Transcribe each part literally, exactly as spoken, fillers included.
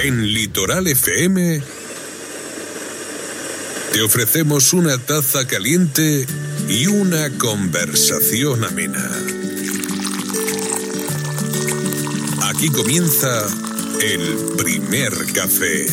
En Litoral F M te ofrecemos una taza caliente y una conversación amena. Aquí comienza el primer café.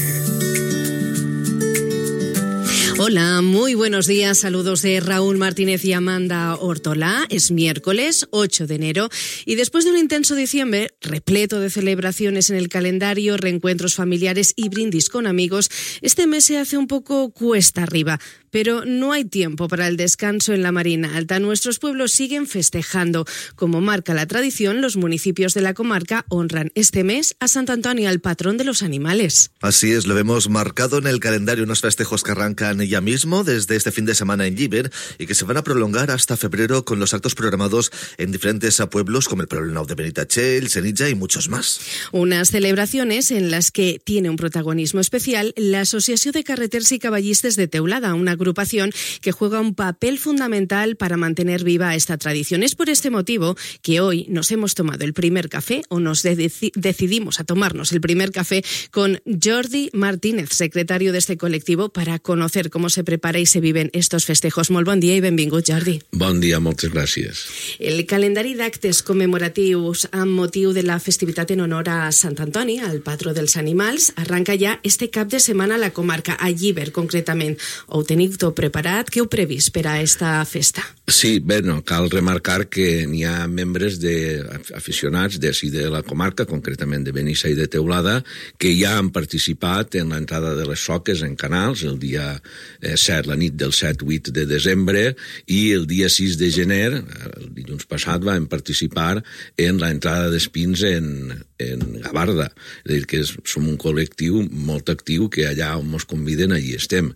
Hola, muy buenos días, saludos de Raúl Martínez y Amanda Ortolá. Es miércoles ocho de enero y después de un intenso diciembre repleto de celebraciones en el calendario, reencuentros familiares y brindis con amigos, este mes se hace un poco cuesta arriba. Pero no hay tiempo para el descanso en la Marina Alta. Nuestros pueblos siguen festejando. Como marca la tradición, los municipios de la comarca honran este mes a Sant Antoni, al patrón de los animales. Así es, lo vemos marcado en el calendario, unos festejos que arrancan ya mismo desde este fin de semana en Llíber y que se van a prolongar hasta febrero con los actos programados en diferentes pueblos como el Poblenou de Benitatxell, Senija y muchos más. Unas celebraciones en las que tiene un protagonismo especial la Asociación de Carreters y Caballistes de Teulada, una agrupación que juega un papel fundamental para mantener viva esta tradición. Es por este motivo que hoy nos hemos tomado el primer café, o nos de- decidimos a tomarnos el primer café con Jordi Martínez, secretario de este colectivo, para conocer cómo se prepara y se viven estos festejos. Molt bon dia i benvingut, Jordi. Bon dia, moltes gràcies. El calendari d'actes commemoratius amb motiu de la festivitat en honor a Sant Antoni, al patró dels animals, arranca ja este cap de setmana a la comarca, a Llíber concretament. Ho teniu tot preparat? Què heu previst per a esta festa? Sí, bé, no, cal remarcar que n'hi ha membres de, aficionats d'ací de la comarca, concretament de Benissa i de Teulada, que ja han participat en l'entrada de les soques en canals el dia eh, set, la nit del set vuit de desembre, i el dia sis de gener, el dilluns passat, vam participar en l'entrada d'espins en, en Gavarda. És a dir, que és, som un col·lectiu molt actiu que allà on ens conviden, allí estem.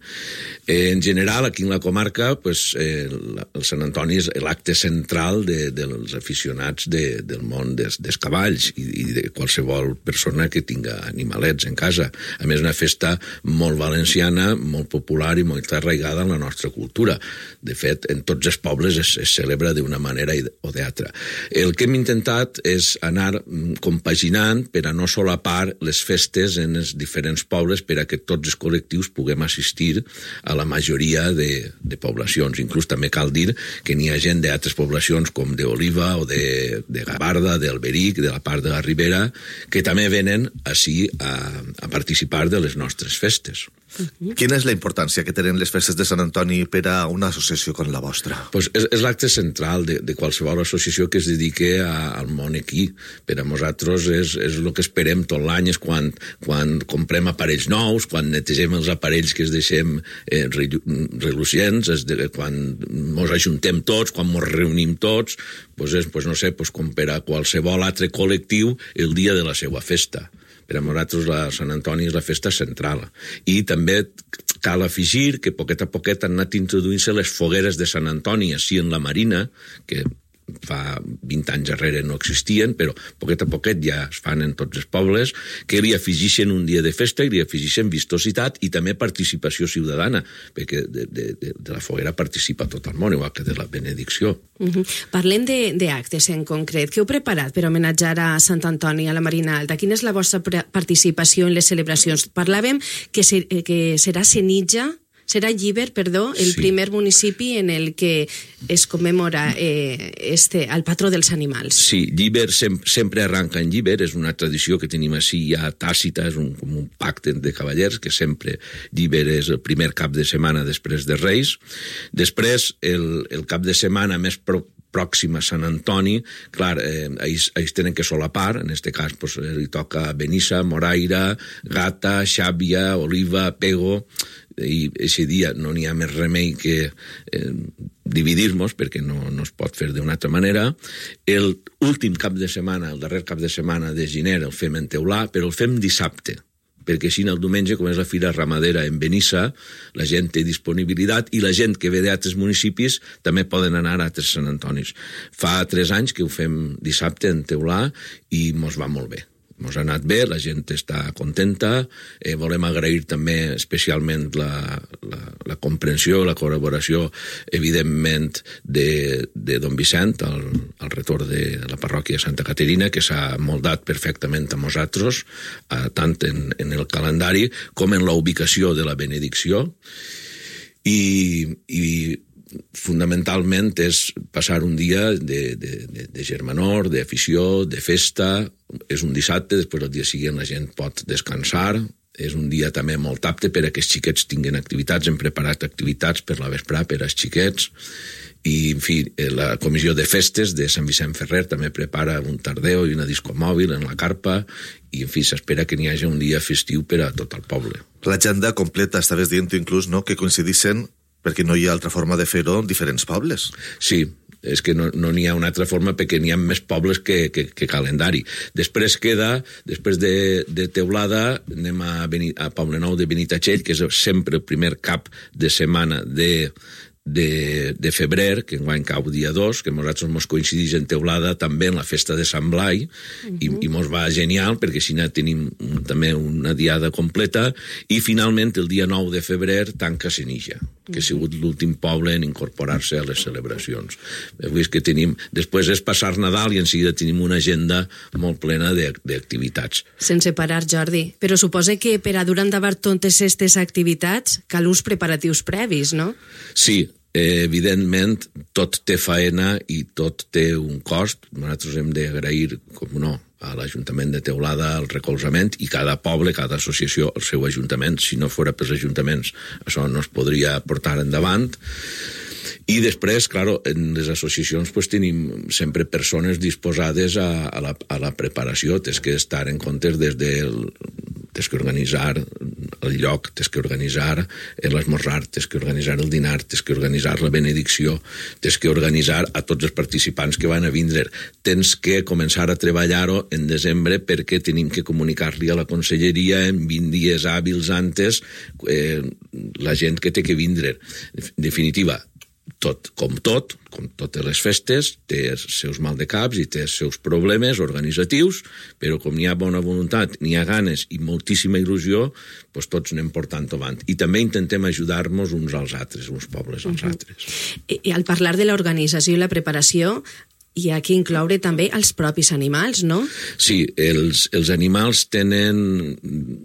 En general, aquí en la comarca, pues, eh, el Sant Antoni és l'acte central de, dels aficionats de, del món des, dels cavalls i, i de qualsevol persona que tinga animalets en casa. A més, una festa molt valenciana, molt popular i molt arraigada en la nostra cultura. De fet, en tots els pobles es, es celebra d'una manera o d'altra. El que hem intentat és anar compaginant per a no solapar les festes en els diferents pobles per a que tots els col·lectius puguem assistir a la majoria de, de poblacions. Inclús també cal dir que n'hi ha gent d'altres poblacions com d'Oliva o de, de Gavarda, d'Alberic, de la part de la Ribera, que també venen ací a, a participar de les nostres festes. Uh-huh. Quina és la importància que tenen les festes de Sant Antoni per a una associació com la vostra? Pues és, és l'acte central de, de qualsevol associació que es dedique a, al món equí. Per a nosaltres és, és el que esperem tot l'any, és quan, quan comprem aparells nous, quan netegem els aparells que es deixem eh, relucients, és de, quan ens ajuntem tots, quan ens reunim tots, pues és, pues no sé, pues com per a qualsevol altre col·lectiu el dia de la seva festa. Per a nosaltres la Sant Antoni és la festa central. I també cal afegir que poquet a poquet han anat introduint-se les fogueres de Sant Antoni així en la Marina, que fa vint anys darrere no existien, però poquet a poquet ja es fan en tots els pobles, que li afegeixen un dia de festa i li afegeixen vistositat i també participació ciutadana, perquè de, de, de, de la foguera participa tot el món, igual que de la benedicció. Uh-huh. Parlem d'actes en concret. Què heu preparat per homenatjar a Sant Antoni, a la Marina Alta? Quina és la vostra participació en les celebracions? Parlàvem que, ser, que serà Senija, serà Llíber, perdó, el sí. primer municipi en el que es commemora eh, este, el patró dels animals. Sí, Llíber sem sempre arranca en Llíber, és una tradició que tenim així ja tàcita, és un, com un pacte de cavallers, que sempre Llíber és el primer cap de setmana després de Reis. Després, el, el cap de setmana més pro pròxim a Sant Antoni, clar, eh, ells, ells tenen que solapar, en aquest cas pues, li toca Benissa, Moraira, Gata, Xàbia, Oliva, Pego, i aquest dia no n'hi ha més remei que eh, dividir-nos, perquè no, no es pot fer d'una altra manera. El últim cap de setmana, el darrer cap de setmana de gener el fem en Teulà, però el fem dissabte, perquè així el diumenge, com és la fira ramadera en Benissa, la gent té disponibilitat i la gent que ve d'altres municipis també poden anar a altres Sant Antonis. Fa tres anys que ho fem dissabte en Teulà i mos va molt bé. Ens ha anat bé, la gent està contenta, eh, volem agrair també especialment la, la, la comprensió, la col·laboració, evidentment, de, de don Vicent, al, al retorn de la parròquia de Santa Caterina, que s'ha moldat perfectament a nosaltres, eh, tant en, en el calendari com en la ubicació de la benedicció, i, i fonamentalment és passar un dia de, de, de, de germanor, d'afició, de festa. És un dissabte, després el dia següent la gent pot descansar. És un dia també molt apte per a que els xiquets tinguin activitats. Hem preparat activitats per la vesprà per als xiquets. I, en fi, la comissió de festes de Sant Vicent Ferrer també prepara un tardeo i una disco mòbil en la carpa, i, en fi, s'espera que n'hi hagi un dia festiu per a tot el poble. L'agenda completa, estaves dient inclús, no?, que coincidissin, perquè no hi ha altra forma de fer-ho, en diferents pobles. Sí, és que no no n'hi ha una altra forma perquè n'hi ha més pobles que, que, que calendari. Després queda, després de, de Teulada, anem a, Beni, a Poblenou de Benitatxell, que és sempre el primer cap de setmana de, de, de febrer, que enguany cau dia dos, que nosaltres ens coincideix en Teulada també en la festa de Sant Blai, uh-huh. i, i mos va genial, perquè així tenim un, també una diada completa, i finalment el dia nou de febrer tanca Senija, que ha sigut l'últim poble en incorporar-se a les celebracions. Avui és que tenim, després és passar Nadal i en seguida tenim una agenda molt plena d'activitats. Sense parar, Jordi, però suposa que per a dur endavant totes aquestes activitats cal uns preparatius previs, no? Sí, evidentment tot té faena i tot té un cost. Nosaltres hem d'agrair, com no, a l'Ajuntament de Teulada el recolzament, i cada poble, cada associació el seu ajuntament. Si no fora pels ajuntaments això no es podria portar endavant. I després, clar, en les associacions pues, tenim sempre persones disposades a, a, la, a la preparació. Tens que estar en compte des del... Tens que organitzar el lloc, tens que organitzar l'esmorzar, tens que organitzar el dinar, tens que organitzar la benedicció, tens que organitzar a tots els participants que van a vindre. Tens que començar a treballar-ho en desembre perquè tenim que comunicar-li a la conselleria en vint dies hàbils antes eh, la gent que té que vindre. En definitiva, tot, com tot, com totes les festes, té els seus maldecaps i té els seus problemes organitzatius, però com n'hi ha bona voluntat, n'hi ha ganes i moltíssima il·lusió, doncs tots anem portant avant. I també intentem ajudar-nos uns als altres, uns pobles als uh-huh. altres. I, I al parlar de l'organització i la preparació, hi ha que incloure també els propis animals, no? Sí, els, els animals tenen...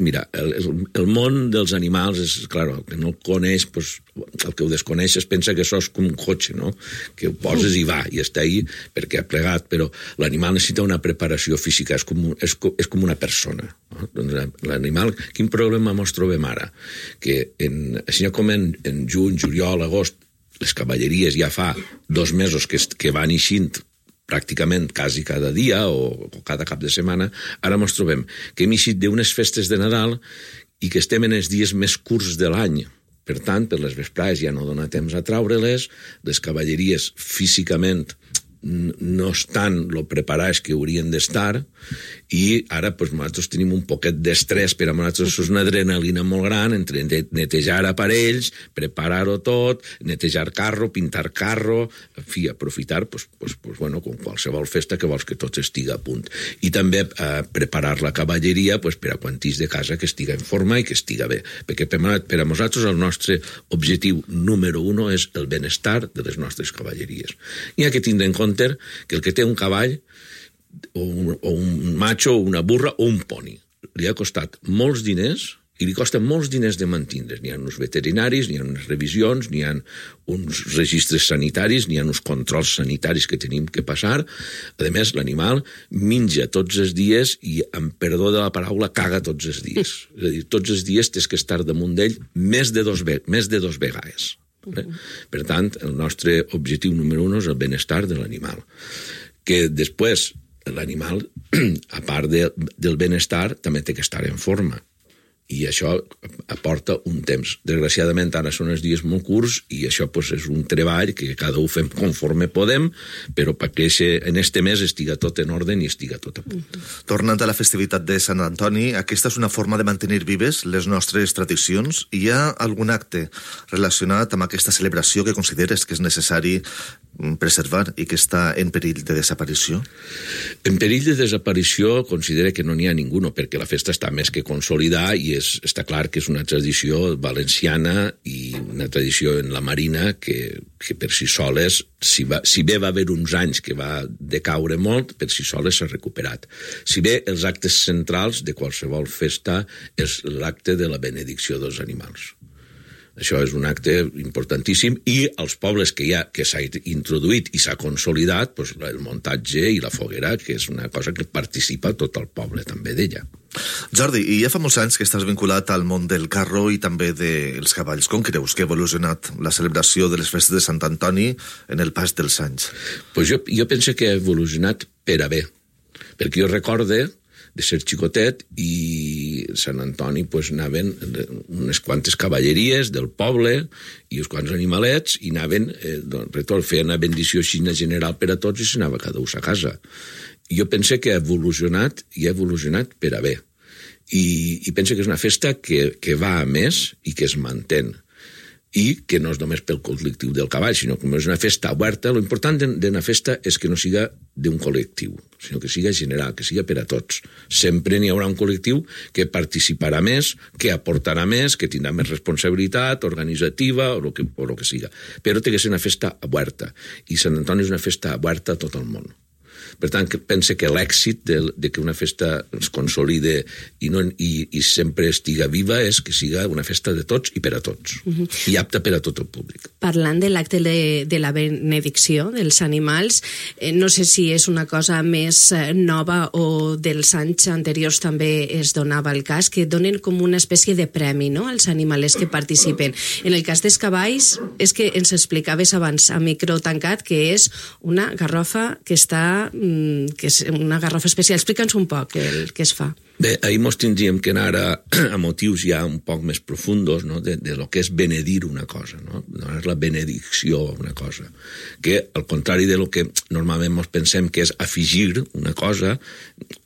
Mira, el, el món dels animals és, clar, el que no el coneix, pues, el que ho desconeix es pensa que això és com un cotxe, no? Que ho poses i va, i està ahí perquè ha plegat, però l'animal necessita una preparació física, és com, és, és com una persona. No? Doncs l'animal, quin problema ens trobem ara? Que en, així com en, en juny, juliol, agost, les cavalleries ja fa dos mesos que, que van eixint pràcticament quasi cada dia o cada cap de setmana, ara ens trobem que hem eixit d'unes festes de Nadal i que estem en els dies més curts de l'any. Per tant, per les vesprades ja no dona temps a traure-les, les cavalleries físicament no estan lo preparats que haurien d'estar, i ara pues, nosaltres tenim un poquet d'estrès, per a nosaltres és una adrenalina molt gran entre netejar aparells, preparar-ho tot, netejar carro, pintar carro, en fi, aprofitar, pues, pues, pues, bueno, com qualsevol festa que vols que tot estigui a punt. I també eh, preparar la cavalleria pues, per a quantís de casa que estiga en forma i que estiga bé. Perquè per, per a nosaltres el nostre objectiu número uno és el benestar de les nostres cavalleries. Hi ha que tindre en compte que el que té un cavall o un, o un macho, o una burra o un poni li ha costat molts diners i li costa molts diners de mantindre's. N'hi ha uns veterinaris, n'hi ha unes revisions, n'hi ha uns registres sanitaris, n'hi ha uns controls sanitaris que tenim que passar. A més, l'animal menja tots els dies i, amb perdó de la paraula, caga tots els dies. És a dir, tots els dies tens que estar damunt d'ell més de dos, més de dos vegades. Eh? Per tant, el nostre objectiu número un és el benestar de l'animal. Que després l'animal, a part de, del benestar, també té que estar en forma. i això aporta un temps. Desgraciadament ara són els dies molt curts i això pues, és un treball que cada un fem conforme podem, però perquè en este mes estiga tot en ordre i estiga tot a punt. Mm-hmm. Tornant a la festivitat de Sant Antoni, aquesta és una forma de mantenir vives les nostres tradicions. Hi ha algun acte relacionat amb aquesta celebració que consideres que és necessari preservar i que està en perill de desaparició? En perill de desaparició considera que no n'hi ha ningú, perquè la festa està més que consolidada i és, està clar que és una tradició valenciana i una tradició en la Marina que, que per si soles, si, va, si bé va haver uns anys que va decaure molt, per si soles s'ha recuperat. Si bé els actes centrals de qualsevol festa és l'acte de la benedicció dels animals. Això és un acte importantíssim i els pobles que hi ha, que s'ha introduït i s'ha consolidat, doncs el muntatge i la foguera, que és una cosa que participa tot el poble també d'ella. Jordi, i ja fa molts anys que estàs vinculat al món del carro i també dels cavalls. Com creus que ha evolucionat la celebració de les festes de Sant Antoni en el pas dels anys? Pues jo, jo penso que ha evolucionat per a bé, perquè jo recorde de ser xicotet i Sant Antoni pues, anaven unes quantes cavalleries del poble i uns quants animalets i anaven, eh, doncs, feien una bendició així general per a tots i s'anava cada un a casa. I jo penso que ha evolucionat i ha evolucionat per a bé. I, i penso que és una festa que, que va a més i que es mantén. I que no és només pel col·lectiu del cavall, sinó que és una festa oberta. Lo important d'una festa és que no siga d'un col·lectiu, sinó que siga general, que siga per a tots. Sempre n'hi haurà un col·lectiu que participarà més, que aportarà més, que tindrà més responsabilitat organitzativa o el que, o lo que siga. Però té que ser una festa oberta. I Sant Antoni és una festa oberta a tot el món. Per tant, pense que l'èxit de, de que una festa es consolide i, no, i, i sempre estiga viva és que siga una festa de tots i per a tots, uh-huh. i apta per a tot el públic. Parlant de l'acte de, de la benedicció dels animals, eh, no sé si és una cosa més nova o dels anys anteriors també es donava el cas, que donen com una espècie de premi, no?, als animalers que participen. En el cas dels cavalls, és que ens explicaves abans a micro tancat que és una garrofa que està que és una garrofa especial. Explica'ns un poc el que es fa. Bé, ahir mos tindríem que anar a, a motius ja un poc més profundos, no?, de, de lo que és benedir una cosa, no? No és la benedicció una cosa, que al contrari de lo que normalment mos pensem que és afegir una cosa,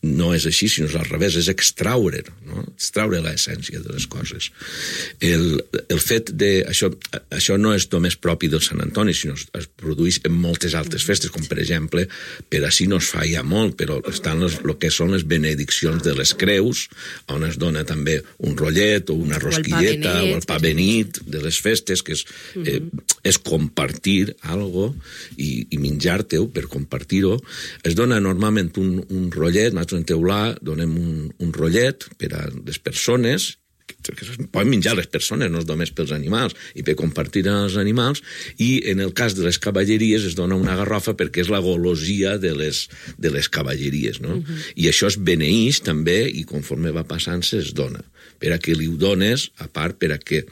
no és així, sinó al revés, és extraure, no? Extraure l'essència de les coses. El, el fet de... Això, això no és només propi del Sant Antoni, sinó es produeix en moltes altres festes, com per exemple, per així no es fa ja molt, però estan les, el que són les benediccions de les creus, on es dona també un rotllet o una rosquilleta o el pa benit de les festes, que és, eh, és compartir algo i, i menjar-te-ho per compartir-ho. Es dona normalment un, un rotllet, nosaltres en Teulà donem un, un rotllet per a les persones, que es poden menjar les persones, no és només pels animals, i per compartir amb els animals, i en el cas de les cavalleries es dona una garrofa perquè és la golosia de les, de les cavalleries, no? Uh-huh. I això es beneeix també, i conforme va passant es dona, per a que li ho dones, a part per a que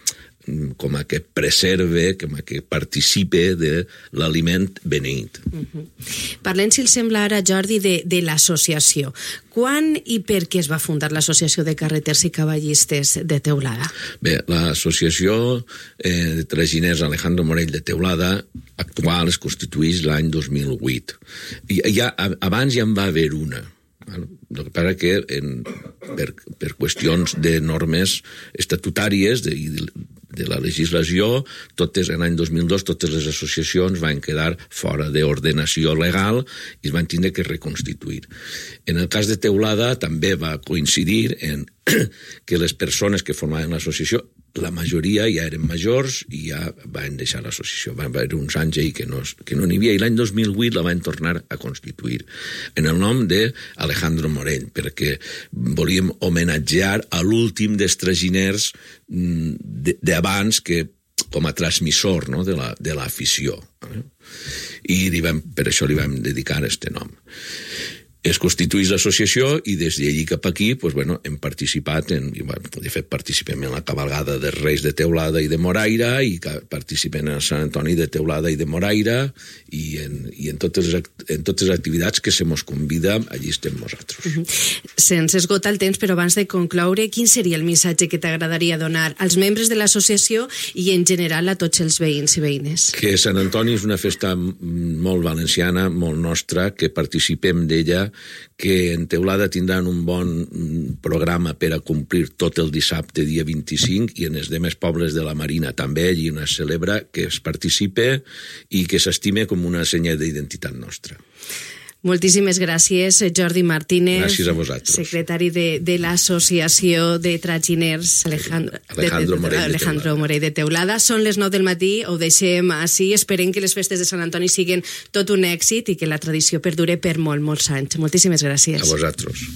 com a que preserve, com a que participe de l'aliment beneït. Uh-huh. Parlem, si el sembla ara, Jordi, de, de l'associació. Quan i per què es va fundar l'Associació de Carreters i Cavallistes de Teulada? Bé, l'associació eh, de traginers Alejandro Morell de Teulada actual es constitueix l'any dos mil vuit. I ja, abans ja en va haver una. El que passa que en, per, per qüestions de normes estatutàries de, de la legislació, totes, en l'any dos mil dos totes les associacions van quedar fora d'ordenació legal i es van tindre que reconstituir. En el cas de Teulada també va coincidir en que les persones que formaven l'associació, la majoria ja eren majors i ja van deixar l'associació. Va haver uns anys ahir que no, que no n'hi havia, i l'any dos mil vuit la van tornar a constituir en el nom d'Alejandro Morell, perquè volíem homenatjar a l'últim dels traginers d'abans que com a transmissor, no?, de la, de l'afició. I li vam, per això li vam dedicar este nom. es constituís l'associació i des d'allí cap aquí pues, bueno, hem participat, en, bueno, de fet participem en la cabalgada dels Reis de Teulada i de Moraira i participem en el Sant Antoni de Teulada i de Moraira i en, i en, totes, en totes les activitats que se mos convida, allí estem nosaltres. Uh -huh. Se'ns esgota el temps, però abans de concloure, quin seria el missatge que t'agradaria donar als membres de l'associació i en general a tots els veïns i veïnes? Que Sant Antoni és una festa molt valenciana, molt nostra, que participem d'ella, que en Teulada tindran un bon programa per a complir tot el dissabte, dia vint-i-cinc, i en els demés pobles de la Marina també, allí on es celebra, que es participe i que s'estime com una senya d'identitat nostra. Moltíssimes gràcies, Jordi Martínez. Gràcies a vosaltres. Secretari de, de l'Associació de Traginers Alejandro, Alejandro, de, de, Morell, de Alejandro Morell de Teulada. Són les nou del matí, ho deixem així. Esperem que les festes de Sant Antoni siguin tot un èxit i que la tradició perdure per molt, molts anys. Moltíssimes gràcies. A vosaltres.